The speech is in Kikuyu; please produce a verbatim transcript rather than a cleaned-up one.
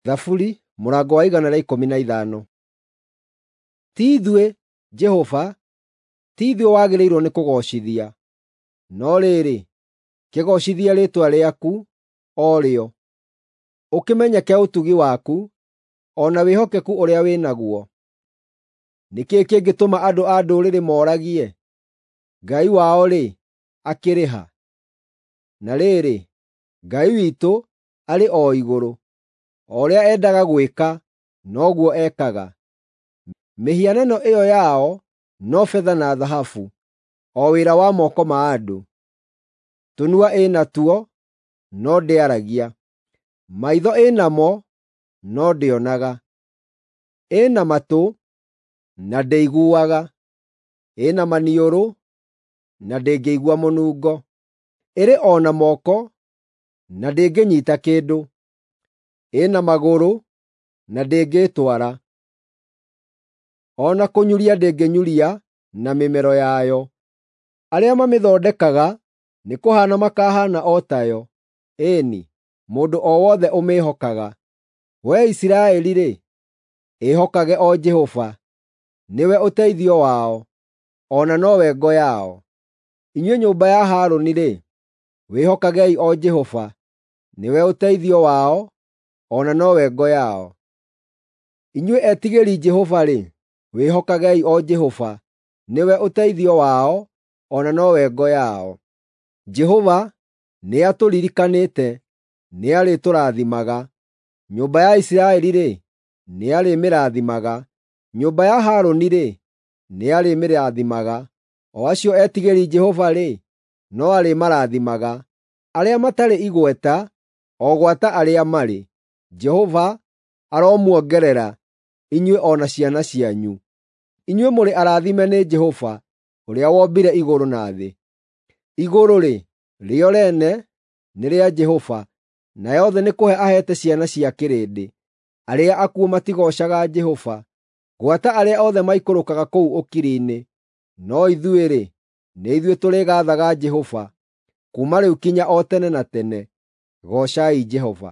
Thaburi mũrango wa igana rĩa ikũmi na ithano. Ti ithuĩ, Jehova, ti ithuĩ wagĩrĩirwo nĩ kũgoocithia, no rĩrĩ, kĩgoocithie rĩĩtwa rĩaku o rĩo, ũkĩmenyeke ũtugi waku, o na wĩhokeku ũrĩa wĩ naguo. Nĩ kĩĩ kĩngĩtũma andũ a ndũrĩrĩ mooragie, “Ngai wao-rĩ, akĩrĩ ha?” Na rĩrĩ, Ngai witũ arĩ o igũrũ; o ũrĩa endaga gwĩka, noguo ekaga. Mĩhianano ĩyo yao no betha na thahabu, o wĩra wa moko ma andũ. Tũnua ĩ natuo, no ndĩaragia; maitho ĩ namo, no ndĩonaga; ĩna matũ, na ndĩiguaga; ĩna maniũrũ, na ndĩngĩigua mũnungo; ĩrĩ o na moko, na ndĩngĩnyiita kĩndũ; ĩna magũrũ, na ndĩngĩĩtwara; o na kũnyuria ndĩngĩnyuria na mĩmero yayo. Arĩa mamĩthondekaga nĩkũhaana makahaana o tayo, ĩĩ-ni, mũndũ o wothe ũmĩĩhokaga. Wee Isiraeli-rĩ, ĩhokage o Jehova; nĩwe ũteithio wao, o na nowe ngo yao. Inyuĩ nyũmba ya Harũni-rĩ, wĩhokagei o Jehova; nĩwe ũteithio wao, o na nowe ngo yao. Inyuĩ etigĩri Jehova-rĩ, wĩhokagei o Jehova; nĩwe ũteithio wao, o na nowe ngo yao. Jehova nĩatũririkanĩte, nĩarĩtũrathimaga: Nyũmba ya Isiraeli-rĩ, nĩarĩmĩrathimaga; nyũmba ya Harũni-rĩ, nĩarĩmĩrathimaga; o acio etigĩri Jehova-rĩ, no arĩmarathimaga, arĩa matarĩ igweta, o gwata arĩa marĩ. Jehova aromuongerera, inyuĩ o na ciana cianyu. Inyuĩ mũrĩ arathime nĩ Jehova, ũrĩa wombire igũrũ na thĩ. Igũrũ-rĩ, rĩo rĩene nĩ rĩa Jehova, nayo thĩ nĩ kũhe aheete ciana cia kĩrĩndĩ. Arĩa akuũ matigoocaga Jehova, gwata arĩa othe maikũrũkaga kũu ũkiri-inĩ. No ithuĩ-rĩ, nĩ ithuĩ tũrĩgaathaga Jehova, kuuma rĩu kinya o tene na tene. Goocai Jehova.